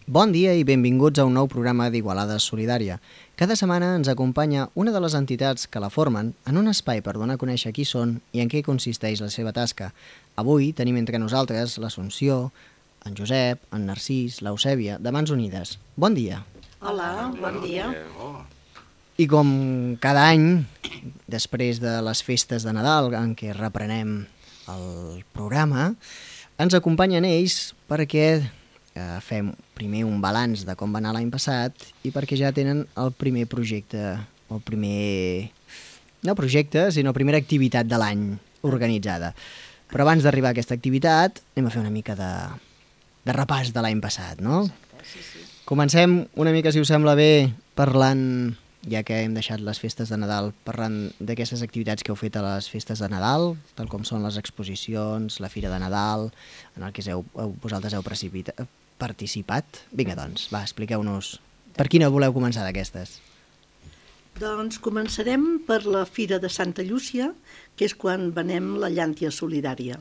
Bon dia i benvinguts a un nou programa d'Igualada Solidària. Cada setmana ens acompanya una de les entitats que la formen en un espai per donar a conèixer qui són i en què consisteix la seva tasca. Avui tenim entre nosaltres l'Assumpció, en Josep, en Narcís, l'Eusèbia, de Mans Unides. Bon dia. Hola, bon dia. I com cada any, després de les festes de Nadal en què reprenem el programa, ens acompanyen ells perquè fem primer un balanç de com va anar l'any passat i perquè ja tenen el primer projecte, no projecte, sinó primera activitat de l'any organitzada. Però abans d'arribar a aquesta activitat anem a fer una mica de repàs de l'any passat, no? Exacte, sí. Comencem una mica, si us sembla bé, parlant, ja que hem deixat les festes de Nadal, parlant d'aquestes activitats que heu fet a les festes de Nadal, tal com són les exposicions, la Fira de Nadal, en el que vosaltres heu participat. Vinga, doncs, va, expliqueu-nos. Per quina voleu començar d'aquestes? Doncs començarem per la Fira de Santa Llúcia, que és quan venem la llàntia solidària.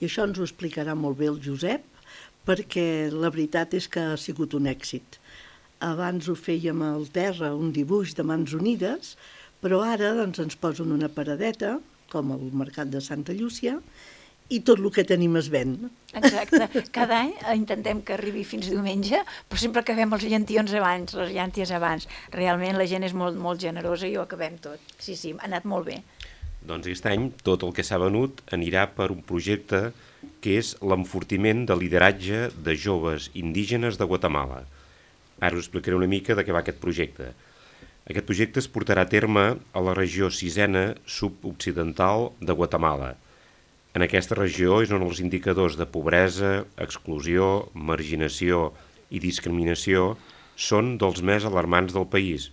I això ens ho explicarà molt bé el Josep, perquè la veritat és que ha sigut un èxit. Abans ho fèiem al terra, un dibuix de Mans Unides, però ara doncs, ens posen una paradeta, com el Mercat de Santa Llúcia, i tot el que tenim es ven. Exacte. Cada any intentem que arribi fins diumenge, però sempre acabem els llantions abans, les llànties abans. Realment la gent és molt, molt generosa i ho acabem tot. Sí, ha anat molt bé. Doncs aquest any tot el que s'ha venut anirà per un projecte que és l'enfortiment de lideratge de joves indígenes de Guatemala. Ara us explicaré una mica de què va aquest projecte. Aquest projecte es portarà a terme a la regió sisena sud-occidental de Guatemala. En aquesta regió és on els indicadors de pobresa, exclusió, marginació i discriminació són dels més alarmants del país.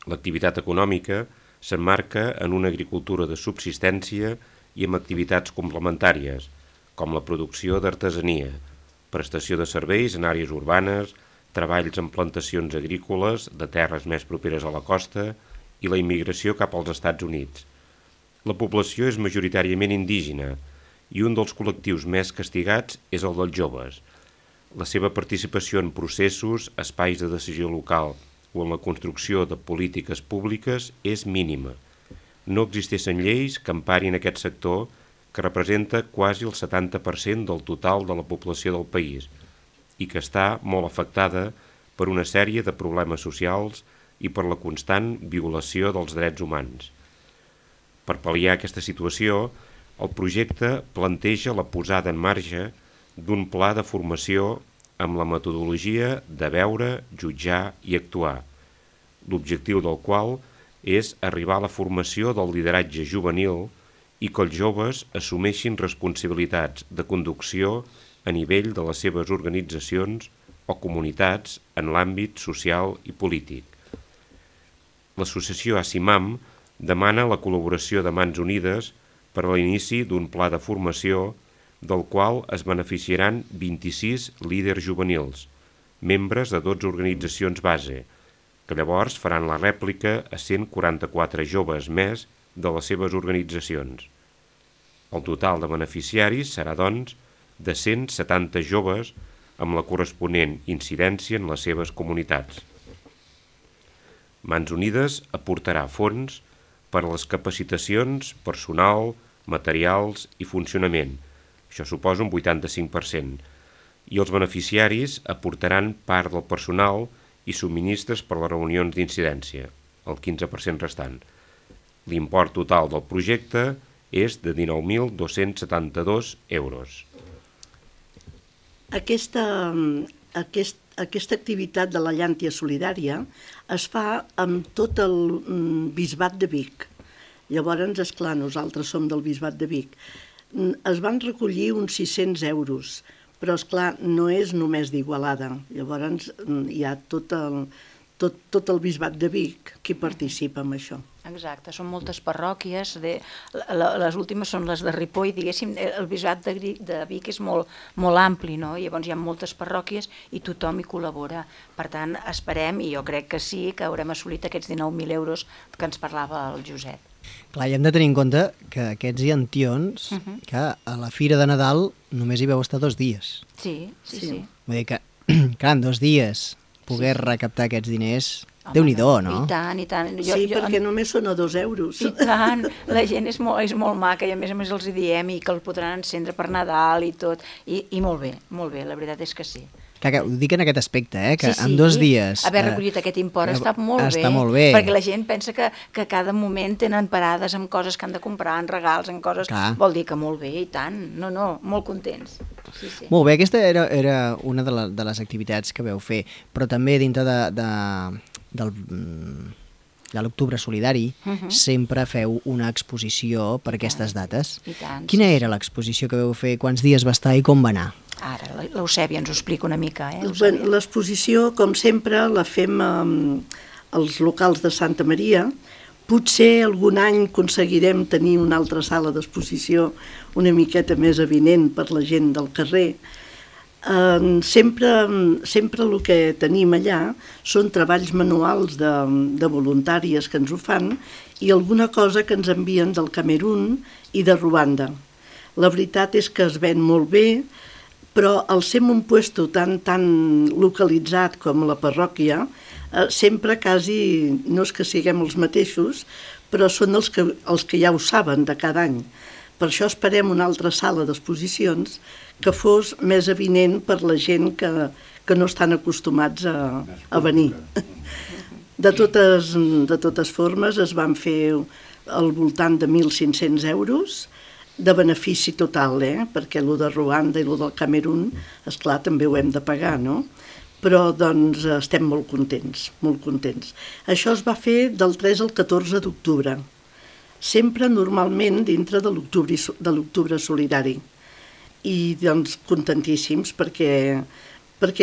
L'activitat econòmica s'emmarca en una agricultura de subsistència i amb activitats complementàries, com la producció d'artesania, prestació de serveis en àrees urbanes, treballs en plantacions agrícoles de terres més properes a la costa i la immigració cap als Estats Units. La població és majoritàriament indígena i un dels col·lectius més castigats és el dels joves. La seva participació en processos, espais de decisió local o en la construcció de polítiques públiques és mínima. No existeixen lleis que emparin aquest sector, que representa quasi el 70% del total de la població del país i que està molt afectada per una sèrie de problemes socials i per la constant violació dels drets humans. Per pal·liar aquesta situació, el projecte planteja la posada en marxa d'un pla de formació amb la metodologia de veure, jutjar i actuar, l'objectiu del qual és arribar a la formació del lideratge juvenil i que els joves assumeixin responsabilitats de conducció a nivell de les seves organitzacions o comunitats en l'àmbit social i polític. L'associació ASIMAM demana la col·laboració de Mans Unides per a l'inici d'un pla de formació del qual es beneficiaran 26 líders juvenils, membres de 12 organitzacions base, que llavors faran la rèplica a 144 joves més de les seves organitzacions. El total de beneficiaris serà, doncs, de 170 joves amb la corresponent incidència en les seves comunitats. Mans Unides aportarà fons per a les capacitacions, personal, materials i funcionament. Això suposa un 85%. I els beneficiaris aportaran part del personal i subministres per a les reunions d'incidència, el 15% restant. L'import total del projecte és de 19.272 euros. Aquesta activitat de la llàntia solidària es fa amb tot el bisbat de Vic. Llavors, esclar, nosaltres som del bisbat de Vic. Es van recollir uns 600 euros, però, esclar, no és només d'Igualada. Llavors, hi ha tot el bisbat de Vic que participa en això. Exacte, són moltes parròquies, les últimes són les de Ripoll, diguéssim, el bisbat de Vic és molt ampli, no? Llavors hi ha moltes parròquies i tothom hi col·labora. Per tant, esperem, i jo crec que sí, que haurem assolit aquests 19.000 euros que ens parlava el Josep. Clar, i hem de tenir en compte que aquests llantions, que a la Fira de Nadal només hi veu estar 2 dies. Sí. Vull dir que clar, en 2 dies poder recaptar aquests diners, Home, Déu-n'hi-do, no? I tant, i tant. Sí, perquè només són a 2 euros. I tant, la gent és molt maca i a més els hi diem i que el podran encendre per Nadal i tot, i molt bé, la veritat és que sí. Que ho dic en aquest aspecte, que en 2 dies... Haver recollit aquest import està molt bé. Perquè la gent pensa que cada moment tenen parades amb coses que han de comprar, en regals, en coses... Clar. Vol dir que molt bé, i tant. No, molt contents. Sí. Molt bé, aquesta era una de les activitats que veu fer, però també dintre de l'Octubre Solidari sempre feu una exposició per aquestes dates. I tant. Quina era l'exposició que veu fer, quants dies va estar i com va anar? Ara, l'Eusèbia ens ho explica una mica, L'exposició, com sempre, la fem als locals de Santa Maria. Potser algun any aconseguirem tenir una altra sala d'exposició una miqueta més avinent per la gent del carrer. Sempre el que tenim allà són treballs manuals de voluntàries que ens ho fan i alguna cosa que ens envien del Camerun i de Ruanda. La veritat és que es ven molt bé, però al ser un puesto tan localitzat com la parròquia, sempre quasi, no és que siguem els mateixos, però són els que ja ho saben de cada any. Per això esperem una altra sala d'exposicions que fos més avinent per la gent que no estan acostumats a venir. De totes formes, es van fer al voltant de 1.500 euros, de benefici total, perquè el de Ruanda i el del Camerun, esclar, també ho hem de pagar, no? Però, doncs, estem molt contents, molt contents. Això es va fer del 3 al 14 d'octubre, sempre normalment dintre de l'Octubre Solidari. I, doncs, contentíssims perquè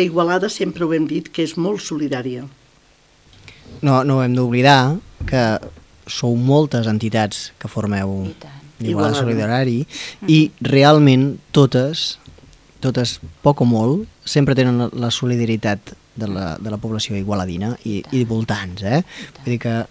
Igualada sempre ho hem dit que és molt solidària. No hem d'oblidar que sou moltes entitats que formeu l'Igualada Solidari i realment totes, poc o molt, sempre tenen la solidaritat de la població igualadina i voltants, Vull dir que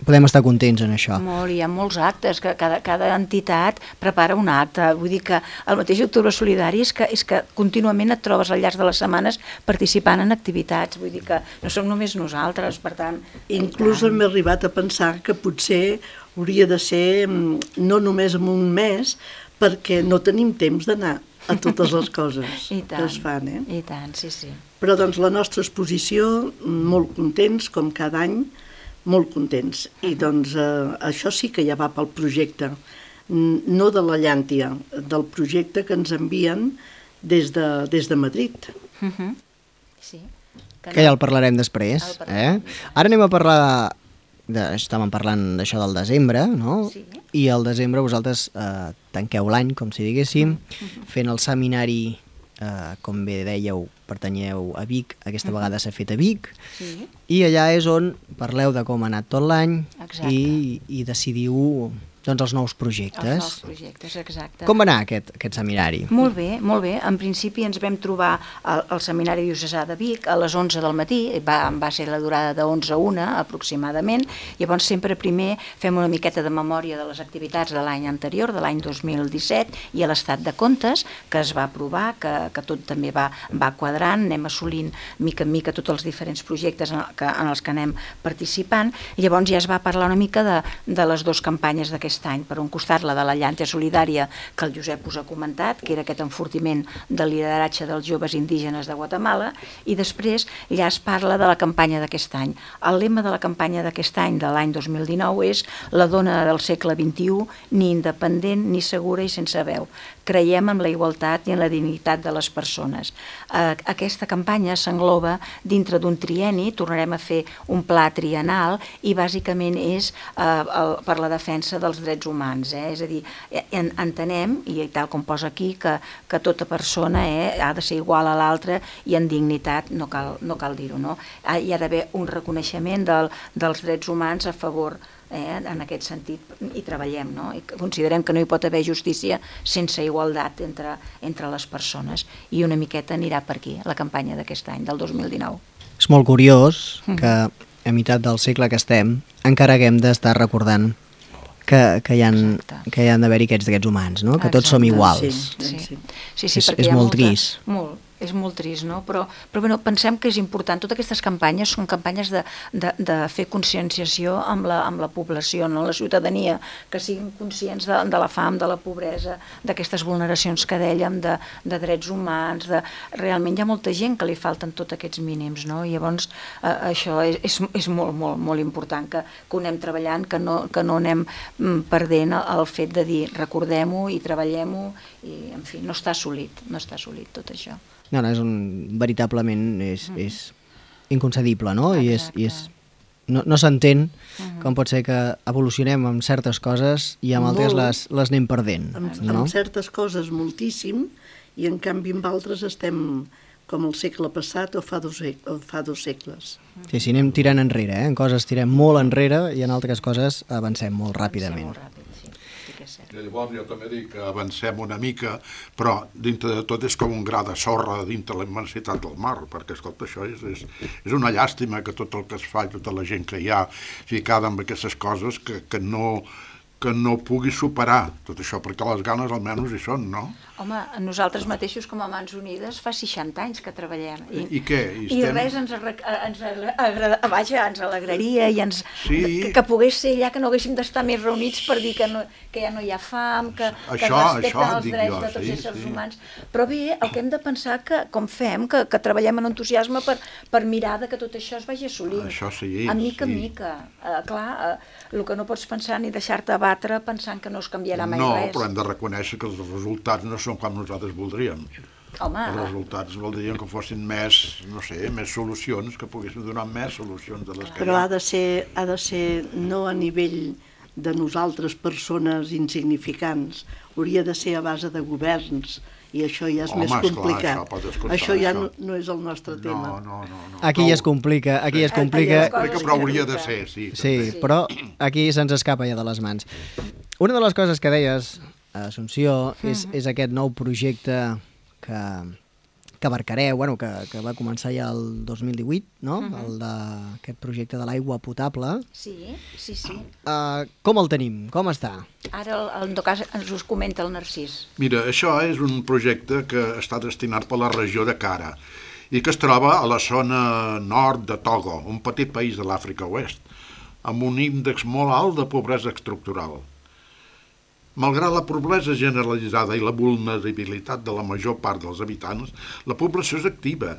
podem estar contents en això. Molt, hi ha molts actes, que cada entitat prepara un acte. Vull dir que el mateix Octubre Solidari és que contínuament et trobes al llarg de les setmanes participant en activitats. Vull dir que no som només nosaltres, per tant... Inclús hem arribat a pensar que potser hauria de ser no només en un mes, perquè no tenim temps d'anar a totes les coses que es fan. I tant, sí. Però doncs la nostra exposició, molt contents, com cada any, molt contents. I doncs això sí que ja va pel projecte, no de la llàntia, del projecte que ens envien des de Madrid. Sí. Que ja el parlarem després. Ara anem a parlar estàvem parlant d'això del desembre, no? Sí. I al desembre vosaltres tanqueu l'any, com si diguéssim, fent el seminari, com bé dèieu, pertanyeu a Vic, aquesta vegada s'ha fet a Vic, i allà és on parleu de com ha anat tot l'any i decidiu doncs, els nous projectes. Els nous projectes, exacte. Com va anar aquest seminari? Molt bé. En principi ens vam trobar al Seminari Diocesà de Vic a les 11 del matí, va ser la durada de 11 a 1 aproximadament. Llavors sempre primer fem una miqueta de memòria de les activitats de l'any anterior, de l'any 2017, i a l'estat de comptes que es va aprovar, que tot també va quadrant, anem assolint mica en mica tots els diferents projectes en els que anem participant. Llavors ja es va parlar una mica de les dues campanyes d'aquest any. Per un costat, la de la llàntia solidària, que el Josep us ha comentat, que era aquest enfortiment del lideratge dels joves indígenes de Guatemala, i després ja es parla de la campanya d'aquest any. El lema de la campanya d'aquest any, de l'any 2019, és la dona del segle XXI, ni independent, ni segura i sense veu. Creiem en la igualtat i en la dignitat de les persones. Aquesta campanya s'engloba dintre d'un trienni, tornarem a fer un pla triennal i bàsicament és per la defensa dels drets humans. És a dir, entenem, i tal com posa aquí, que tota persona ha de ser igual a l'altra i en dignitat, no cal dir-ho, no? Hi ha d'haver un reconeixement dels drets humans a favor en aquest sentit, i treballem, no? I considerem que no hi pot haver justícia sense igualtat entre les persones, i una miqueta anirà per aquí la campanya d'aquest any, del 2019. És molt curiós que a meitat del segle que estem encara haguem d'estar recordant que hi han d'haver-hi aquests drets humans, no? Que tots som iguals. Sí, és molt trist. Molt. És molt trist, no? Però bueno, pensem que és important. Totes aquestes campanyes són campanyes de fer conscienciació amb la població, no? La ciutadania, que siguin conscients de la fam, de la pobresa, d'aquestes vulneracions que dèiem, de drets humans, realment hi ha molta gent que li falten tots aquests mínims, no? I llavors això és molt, molt, molt important que ho anem treballant, que no anem perdent el fet de dir recordem-ho i treballem-ho, i en fi, no està assolit tot això. No, veritablement és inconcebible, no? I no s'entén com pot ser que evolucionem amb certes coses i amb altres les anem perdent. Amb certes coses moltíssim, i en canvi amb altres estem com el segle passat o fa dos segles. Sí, anem tirant enrere, en coses tirem molt enrere i en altres coses avancem molt ràpidament. Llavors jo també dic que avancem una mica, però dintre de tot és com un gra de sorra dintre la immensitat del mar, perquè escolta, això és una llàstima que tot el que es fa i tota la gent que hi ha ficada amb aquestes coses que no pugui superar tot això, perquè les ganes almenys hi són, no? Home, nosaltres mateixos com a Mans Unides fa 60 anys que treballem. I què? I res ens alegraria i que pogués ser allà, que no haguéssim d'estar més reunits per dir que ja no hi ha fam, que es respecten els drets de tots els éssers humans. Però bé, el que hem de pensar com fem, que treballem en entusiasme per mirar que tot això es vagi assolint. Això sí. A mica en mica. Clar, el que no pots pensar ni deixar-te abatre pensant que no es canviarà mai res. No, però hem de reconèixer que els resultats no són com nosaltres voldríem. Home. Els resultats voldrien que fossin més, no sé, més solucions, que poguéssim donar més solucions de les que Però hi ha. ha de ser no a nivell de nosaltres, persones insignificants, hauria de ser a base de governs, i això ja és més complicat. Això ja no és el nostre tema. No. Aquí ja es complica. Però hauria de ser, sí. Sí, però aquí se'ns escapa ja de les mans. Una de les coses que deies, Assumpció, és aquest nou projecte que abarcareu, que va començar ja el 2018, no? Aquest projecte de l'aigua potable. Sí. Com el tenim? Com està? Ara, en tot cas, ens us comenta el Narcís. Mira, això és un projecte que està destinat per la regió de Kara i que es troba a la zona nord de Togo, un petit país de l'Àfrica Oest, amb un índex molt alt de pobresa estructural. Malgrat la pobresa generalitzada i la vulnerabilitat de la major part dels habitants, la població és activa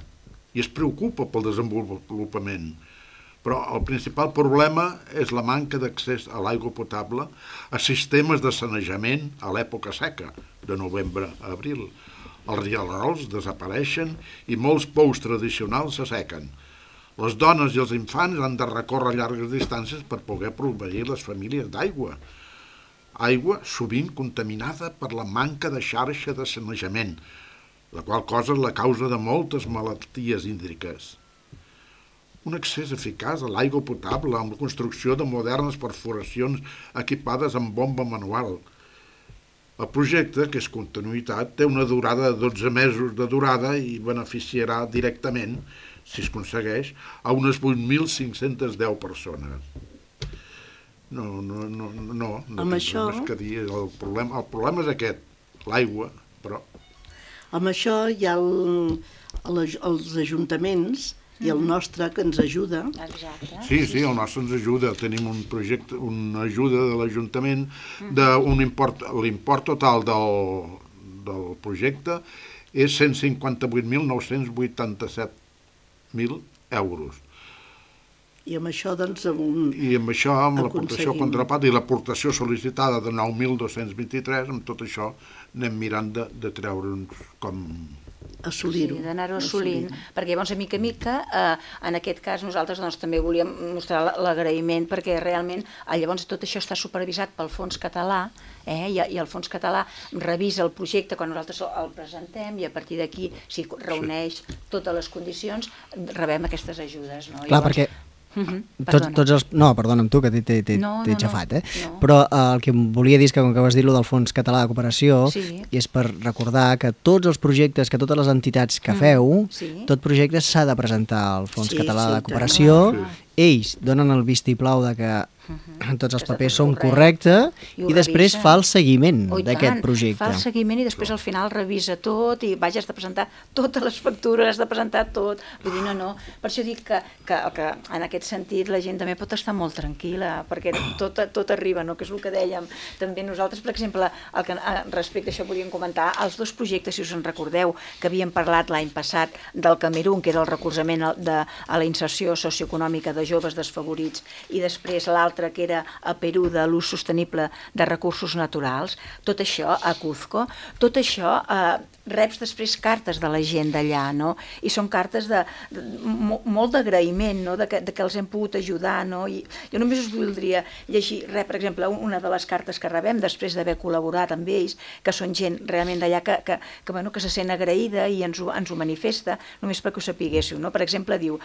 i es preocupa pel desenvolupament. Però el principal problema és la manca d'accés a l'aigua potable a sistemes de sanejament a l'època seca, de novembre a abril. Els rierols desapareixen i molts pous tradicionals s'assequen. Les dones i els infants han de recórrer llargues distàncies per poder proveir les famílies d'aigua. Aigua sovint contaminada per la manca de xarxa de sanejament, la qual cosa és la causa de moltes malalties hídriques. Un accés eficaç a l'aigua potable amb la construcció de modernes perforacions equipades amb bomba manual. El projecte, que és continuïtat, té una durada de 12 mesos de durada i beneficiarà directament, si es aconsegueix, a unes 8.510 persones. No, amb això... el problema és aquest, l'aigua, però... Amb això hi ha els ajuntaments i el nostre que ens ajuda. Exacte. Sí, el nostre ens ajuda. Tenim un projecte, una ajuda de l'Ajuntament d'un import, l'import total del projecte és 158.987.000 euros. I amb això, doncs, amb l'aportació contrapart i l'aportació sol·licitada de 9.223, amb tot això anem mirant de treure'ns com... assolir-ho. Sí, d'anar-ho assolint, perquè llavors, a mica, en aquest cas, nosaltres també volíem mostrar l'agraïment, perquè realment llavors tot això està supervisat pel Fons Català, i el Fons Català revisa el projecte quan nosaltres el presentem i a partir d'aquí, si reuneix totes les condicions, rebem aquestes ajudes. Clar, perquè... Perdona'm tu, que t'he xafat, però el que volia dir és que, com que vas dir del Fons Català de Cooperació, és per recordar que tots els projectes, que totes les entitats que feu, tot projecte s'ha de presentar al Fons Català de Cooperació, ells donen el vistiplau de que tots els Que està papers tot són correcte. correctes, I ho i després revisa. fa el seguiment Oh, i d'aquest tant, projecte. Fa el seguiment i després al final revisa tot i vaja, has de presentar totes les factures, has de presentar tot. Vull dir, no. Per això dic que en aquest sentit la gent també pot estar molt tranquil·la, perquè tot arriba, no? Que és el que dèiem. També nosaltres, per exemple, respecte a això podríem comentar els dos projectes, si us en recordeu, que havíem parlat l'any passat del Camerún, que era el recolzament a la inserció socioeconòmica de joves desfavorits, i després l'altre, que era a Perú, de l'ús sostenible de recursos naturals, tot això a Cuzco, tot això reps després cartes de la gent d'allà, no? I són cartes molt d'agraïment, no? De que els hem pogut ajudar, no? I jo només us voldria llegir, per exemple, una de les cartes que rebem després d'haver col·laborat amb ells, que són gent realment d'allà que se sent agraïda i ens ho manifesta, només perquè ho sapiguéssiu, no? Per exemple, diu,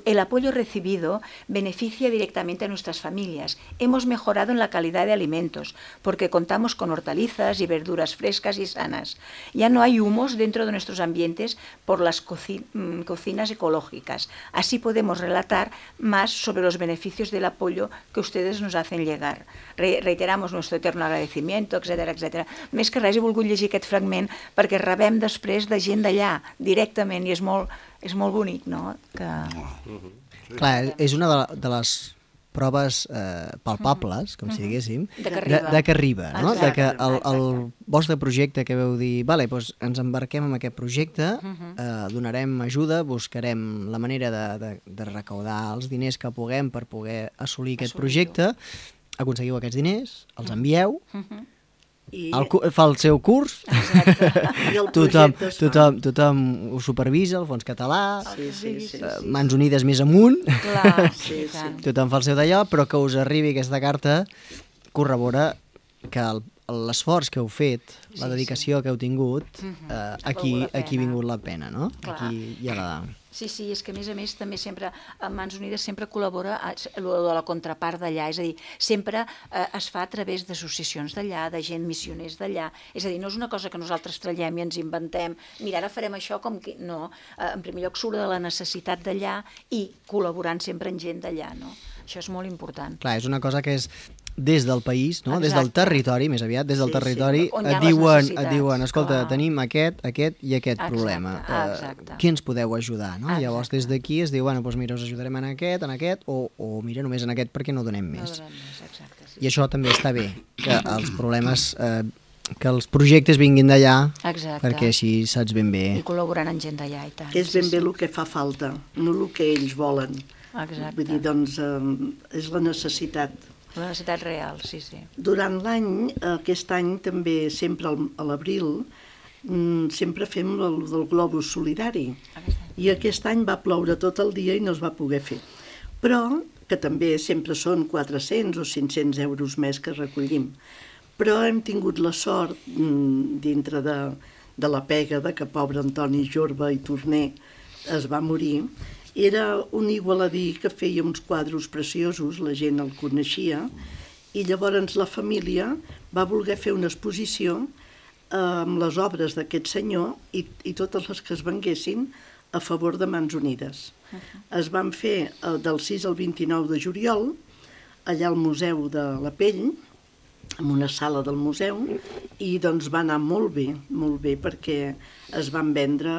el apoyo recibido beneficia directamente a nuestras familias. Hemos mejorado en la calidad de alimentos, porque contamos con hortalizas y verduras frescas y sanas. Ya no hay humos dentro de nuestros ambientes por las cocinas ecológicas. Así podemos relatar más sobre los beneficios del apoyo que ustedes nos hacen llegar. Reiteramos nuestro eterno agradecimiento, etcétera, etcétera. Més que res he volgut llegir aquest fragment perquè rebem després de gent d'allà directament i és molt bonic, no? Clar, és una de les proves palpables, com si diguéssim, de que arriba, no? De que el vostre projecte que veu dir, vale, doncs ens embarquem en aquest projecte, donarem ajuda, buscarem la manera de recaudar els diners que puguem per poder assolir aquest projecte, aconseguiu aquests diners, els envieu, fa el seu curs, tothom ho supervisa, el Fons Català, Mans Unides més amunt, tothom fa el seu d'allò, però que us arribi aquesta carta corrobora que l'esforç que heu fet, la dedicació que heu tingut, aquí ha vingut la pena, no? Aquí hi ha la... Sí, és que a més també sempre Mans Unides sempre col·labora de la contrapart d'allà, és a dir, sempre es fa a través d'associacions d'allà, de gent missioners d'allà, és a dir, no és una cosa que nosaltres trallem i ens inventem, mira, ara farem això com que... No, en primer lloc surt de la necessitat d'allà i col·laborant sempre amb gent d'allà, no? Això és molt important. Clar, és una cosa que és des del país, no? Des del territori, més aviat, des del territori, et diuen, escolta, tenim aquest i aquest problema. Qui ens podeu ajudar? Llavors, des d'aquí es diu, bueno, doncs mira, us ajudarem en aquest, o mira, només en aquest perquè no donem més. I això també està bé, que els problemes... que els projectes vinguin d'allà, perquè així saps ben bé... I col·laborant amb gent d'allà i tant. És ben bé el que fa falta, no el que ells volen. Exacte. Vull dir, doncs, és la necessitat. La necessitat real, sí. Durant l'any, aquest any també, sempre a l'abril, sempre fem el del globus solidari. I aquest any va ploure tot el dia i no es va poder fer. Però, que també sempre són 400 o 500 euros més que recollim. Però hem tingut la sort, dintre de la pega de que pobre Antoni Jorba i Torner es va morir, era un igualadí que feia uns quadros preciosos, la gent el coneixia, i llavors la família va voler fer una exposició amb les obres d'aquest senyor i totes les que es venguessin a favor de Mans Unides. Es van fer del 6 al 29 de juliol, allà al Museu de la Pell, en una sala del museu, i doncs va anar molt bé, perquè es van vendre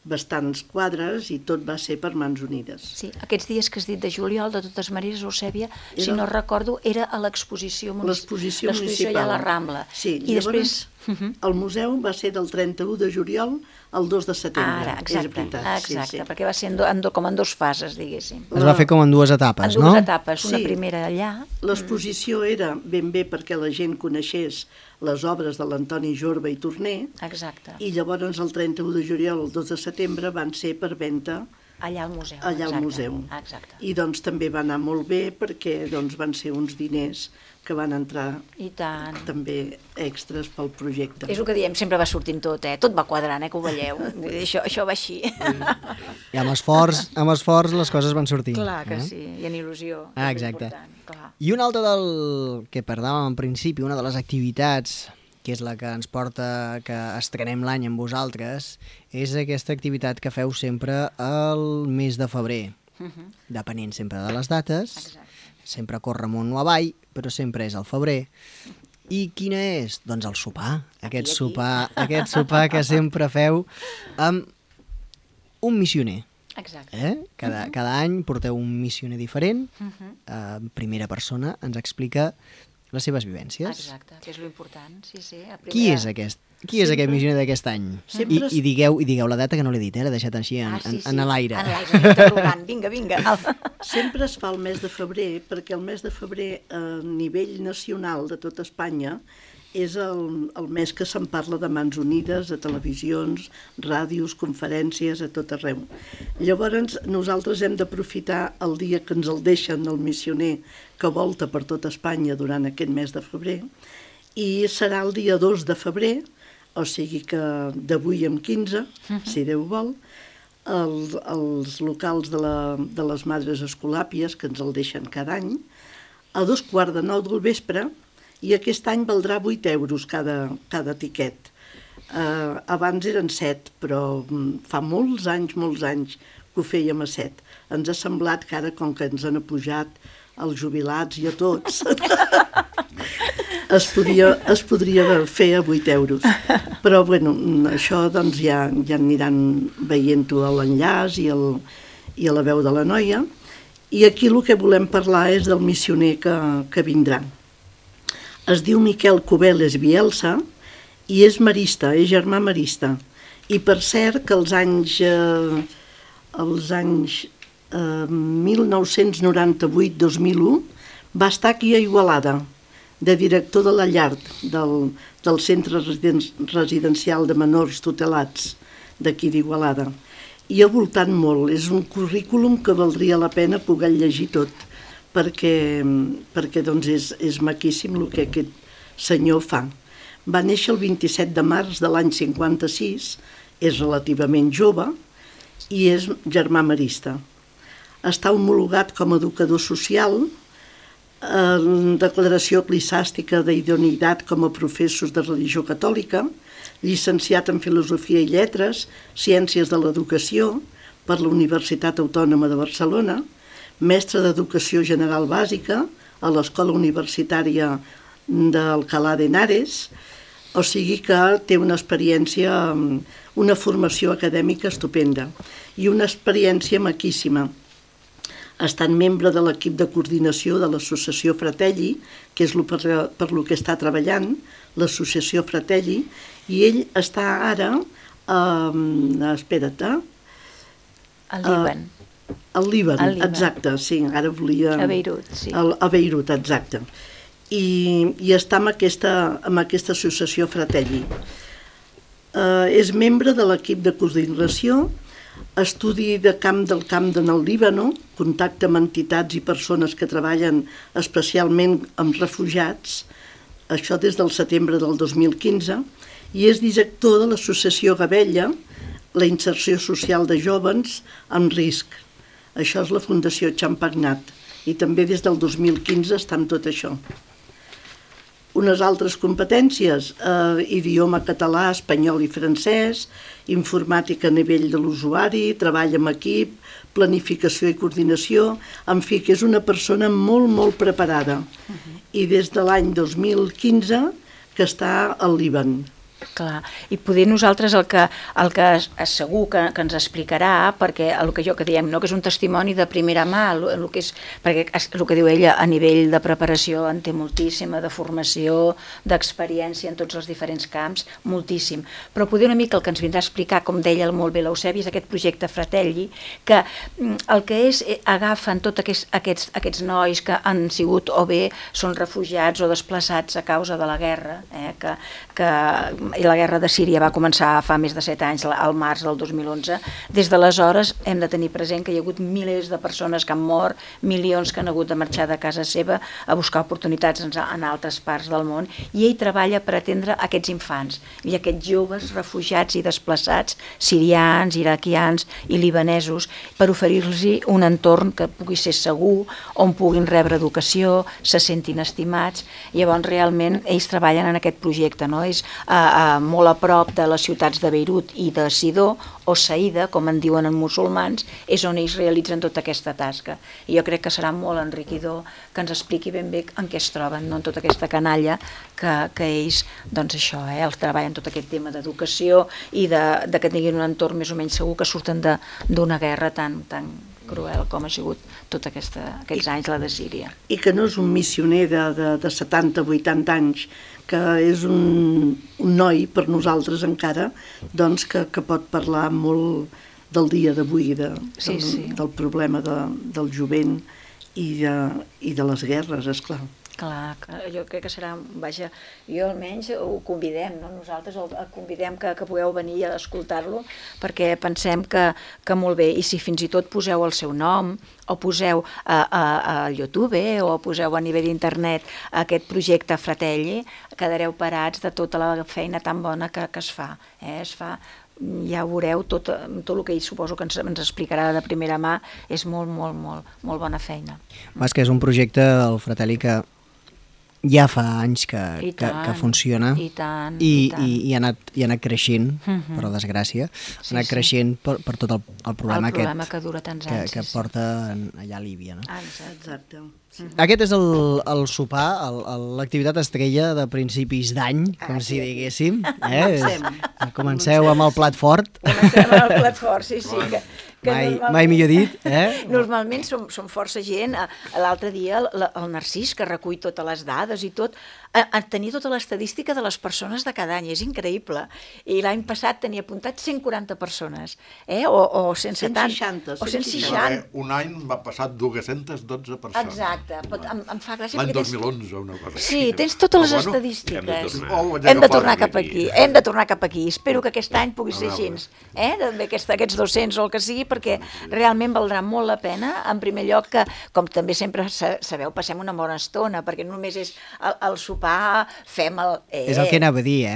bastants quadres i tot va ser per Mans Unides. Sí, aquests dies que has dit de juliol, de totes maneres, Eusèbia, si no recordo, era a l'exposició municipal. L'exposició ja a la Rambla. Sí, i després el museu va ser del 31 de juliol al 2 de setembre. Ara, exacte, perquè va ser com en dues fases, diguéssim. Es va fer com en dues etapes, no? En dues etapes, una primera allà. L'exposició era ben bé perquè la gent coneixés les obres de l'Antoni Jorba i Torner. Exacte. I llavors el 31 de juliol al 2 de setembre van ser per venda allà al museu. Exacte. I doncs també va anar molt bé perquè doncs, van ser uns diners que van entrar també extras pel projecte. És el que diem, sempre va sortint tot, tot va quadrant, que ho veieu. Això va així. I amb esforç les coses van sortint. Clar que sí, i en il·lusió. Exacte. I un altre del que parlàvem en principi, una de les activitats que és la que ens porta que estrenem l'any amb vosaltres, és aquesta activitat que feu sempre el mes de febrer, depenent sempre de les dates. sempre corre amunt o avall, però sempre és al febrer. I quina és? Doncs el sopar. Aquest sopar que sempre feu amb un missioner. Exacte. Cada any porteu un missioner diferent, en primera persona, ens explica les seves vivències. Exacte, que és l'important. Sí. Qui és aquest missioner d'aquest any? I digueu la data, que no l'he dit, l'he deixat així en l'aire. En l'aire, interrogant. Vinga. Sempre es fa el mes de febrer, perquè el mes de febrer a nivell nacional de tot Espanya és el mes que se'n parla de Mans Unides, a televisions, ràdios, conferències, a tot arreu. Llavors, nosaltres hem d'aprofitar el dia que ens el deixen, el missioner, que volta per tot Espanya durant aquest mes de febrer, i serà el dia 2 de febrer, o sigui que d'avui en 15, si Déu vol, els locals de les Madres Escolàpies, que ens el deixen cada any, a 2:15 del vespre, i aquest any valdrà 8 euros cada tiquet. Abans eren 7, però fa molts anys que ho fèiem a 7. Ens ha semblat que ara, com que ens han apujat els jubilats i a tots, es podria fer a 8 euros. Però, bueno, això doncs ja aniran veient-ho a l'enllaç i a la veu de la noia. I aquí el que volem parlar és del missioner que vindrà. Es diu Miquel Cubeles Bielsa i és marista, és germà marista. I per cert que els anys 1998-2001 va estar aquí a Igualada, de director de la llar del centre residencial de menors tutelats d'aquí d'Igualada. I ha voltat molt, és un currículum que valdria la pena poder llegir tot, perquè doncs és maquíssim el que aquest senyor fa. Va néixer el 27 de març de l'any 56, és relativament jove i és germà marista. Està homologat com a educador social, declaració eclesiàstica d'idoneïtat com a professor de religió catòlica, llicenciat en Filosofia i Lletres, Ciències de l'Educació per la Universitat Autònoma de Barcelona, mestre d'Educació General Bàsica a l'Escola Universitària d'Alcalá de Henares, o sigui que té una experiència, una formació acadèmica estupenda i una experiència maquíssima. Ha estat membre de l'equip de coordinació de l'associació Fratelli, que és per lo que està treballant, l'associació Fratelli, i ell està ara, al Líban. Al Líban, exacte, sí, ara volia... A Beirut, sí. A Beirut, exacte. I està amb aquesta associació Fratelli. És membre de l'equip de coordinació, estudi del camp en el Líbano, contacte amb entitats i persones que treballen especialment amb refugiats, això des del setembre del 2015, i és director de l'associació Gabella, la inserció social de jóvens amb risc. Això és la Fundació Champagnat, i també des del 2015 està amb tot això. Unes altres competències, idioma català, espanyol i francès, informàtica a nivell de l'usuari, treball amb equip, planificació i coordinació, en fi, que és una persona molt, molt preparada. I des de l'any 2015 que està al Líban. Clar, i poder nosaltres el que segur que ens explicarà, perquè el que diem, no, que és un testimoni de primera mà, perquè el que diu ella a nivell de preparació en té moltíssima, de formació, d'experiència en tots els diferents camps, moltíssim. Però poder una mica el que ens vindrà a explicar, com deia molt bé l'Eusebi, és aquest projecte Fratelli, que el que és, agafen tots aquests nois que han sigut o bé són refugiats o desplaçats a causa de la guerra, i la guerra de Síria va començar fa més de 7 anys, al març del 2011. Des d'aleshores hem de tenir present que hi ha hagut milers de persones que han mort, milions que han hagut de marxar de casa seva a buscar oportunitats en altres parts del món, i ell treballa per atendre aquests infants i aquests joves refugiats i desplaçats, sirians, iraquians i libanesos, per oferir-los un entorn que pugui ser segur, on puguin rebre educació, se sentin estimats. Llavors realment ells treballen en aquest projecte, no? És molt a prop de les ciutats de Beirut i de Sidó, o Saïda, com en diuen en musulmans, és on ells realitzen tota aquesta tasca. I jo crec que serà molt enriquidor que ens expliqui ben bé en què es troben, no? En tota aquesta canalla que ells, doncs això, els treballen tot aquest tema d'educació i de que tinguin un entorn més o menys segur, que surten d'una guerra tan cruel com ha sigut tots aquests anys la de Síria. I que no és un missioner de 70-80 anys, que és un noi per nosaltres encara, doncs que pot parlar molt del dia d'avui, del problema del jovent i de les guerres, esclar. Clar, jo crec que serà, vaja, jo almenys ho convidem, no? Nosaltres el convidem que pugueu venir a escoltar-lo, perquè pensem que molt bé, i si fins i tot poseu el seu nom, o poseu a YouTube, o poseu a nivell d'internet aquest projecte Fratelli, quedareu parats de tota la feina tan bona que es fa. Es fa, ja ho veureu, tot el que ell suposo que ens explicarà de primera mà, és molt, molt, molt, molt bona feina. És que és un projecte, el Fratelli, que ja fa anys que funciona i ha anat creixent, per desgràcia, ha anat creixent per tot el problema que dura tants anys, que porta allà a Líbia. Exacte. Aquest és el sopar, l'activitat estrella de principis d'any, com si diguéssim. Comenceu amb el plat fort. Comencem amb el plat fort, sí. Mai millor dit. Normalment som força gent. L'altre dia el Narcís, que recull totes les dades i tot, tenir tota l'estadística de les persones de cada any, és increïble. I l'any passat tenia apuntat 140 persones, o 170. 160. O 160. Un any va passar 212 persones. Exacte. Em fa gràcia. L'any 2011, una cosa així. Sí, tens totes les estadístiques. Hem de tornar cap aquí. Hem de tornar cap aquí. Espero que aquest any pugui ser així. Aquests 200 o el que sigui, perquè realment valdrà molt la pena. En primer lloc, que, com també sempre sabeu, passem una bona estona, perquè només és el sopar, fem el... És el que anava a dir,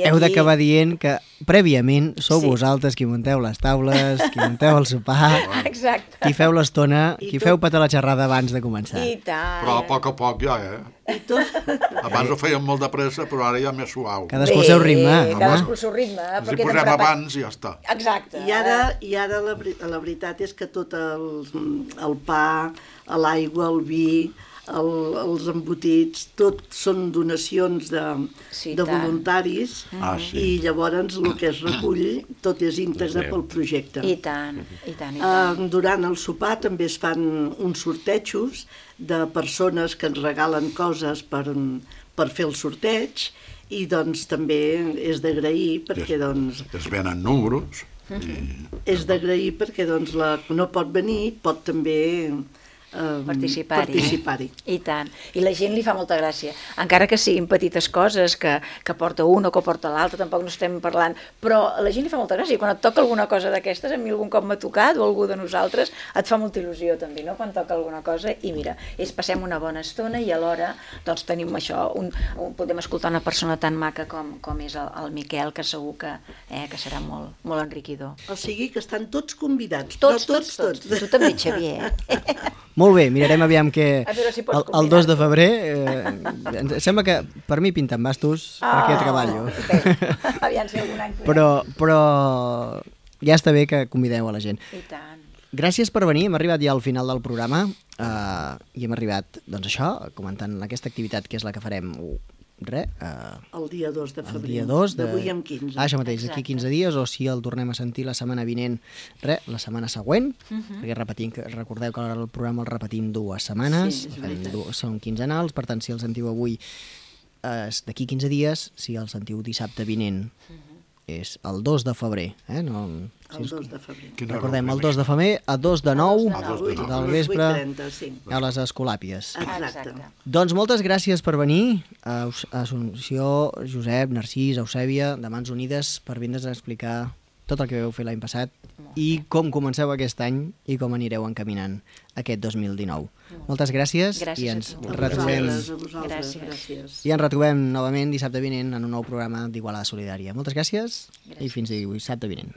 Heu d'acabar dient que prèviament sou vosaltres qui munteu les taules, qui munteu el sopar, qui feu l'estona, qui feu petar la xerrada abans de començar. I tant. Però a poc ja, Abans ho fèiem molt de pressa, però ara ja més suau. Cadascú el seu ritme. Cadascú el seu ritme. Ens hi posem abans i ja està. Exacte. I ara la veritat és que tot el pa, l'aigua, el vi, els embotits, tot són donacions de voluntaris, i llavors el que es recull tot és íntegre pel projecte. I tant. Durant el sopar també es fan uns sortejos de persones que ens regalen coses per fer el sorteig, i doncs també és d'agrair perquè doncs... Es venen números. És d'agrair perquè doncs la que no pot venir pot també... participar-hi. I tant. I la gent li fa molta gràcia. Encara que siguin petites coses que porta un o que porta l'altre, tampoc no estem parlant, però a la gent li fa molta gràcia. I quan et toca alguna cosa d'aquestes, a mi algun cop m'ha tocat, o algú de nosaltres, et fa molta il·lusió també, no?, quan toca alguna cosa. I mira, passem una bona estona i alhora doncs tenim això, podem escoltar una persona tan maca com és el Miquel, que segur que serà molt, molt enriquidor. O sigui que estan tots convidats. Tots. Tu també, Xavier. Molt bé, mirarem aviam que el 2 de febrer em sembla que per mi pinten bastos perquè treballo. Aviam si algun any... Però ja està bé que convideu a la gent. I tant. Gràcies per venir, hem arribat ja al final del programa i hem arribat, doncs això, comentant aquesta activitat que és la que farem el dia 2 de febrer. El dia 2 d'avui en 15. Això mateix, d'aquí 15 dies, o si el tornem a sentir la setmana vinent, la setmana següent, perquè recordeu que el programa el repetim 2 setmanes, són quinzenals, per tant, si el sentiu avui és d'aquí 15 dies, si el sentiu dissabte vinent és el 2 de febrer. El 2 de febrer. Recordem, el 2 de febrer, a 2 de 9 del vespre, 8:30, a les Escolàpies. Exacte. Doncs moltes gràcies per venir, a Assumpció, Josep, Narcís, Eusèbia, de Mans Unides, per vindre's a explicar tot el que vau fer l'any passat i com comenceu aquest any i com anireu encaminant aquest 2019. Moltes gràcies i ens retrobem. Gràcies. I ens retrobem novament dissabte vinent en un nou programa d'Igualada Solidària. Moltes gràcies i fins dissabte vinent.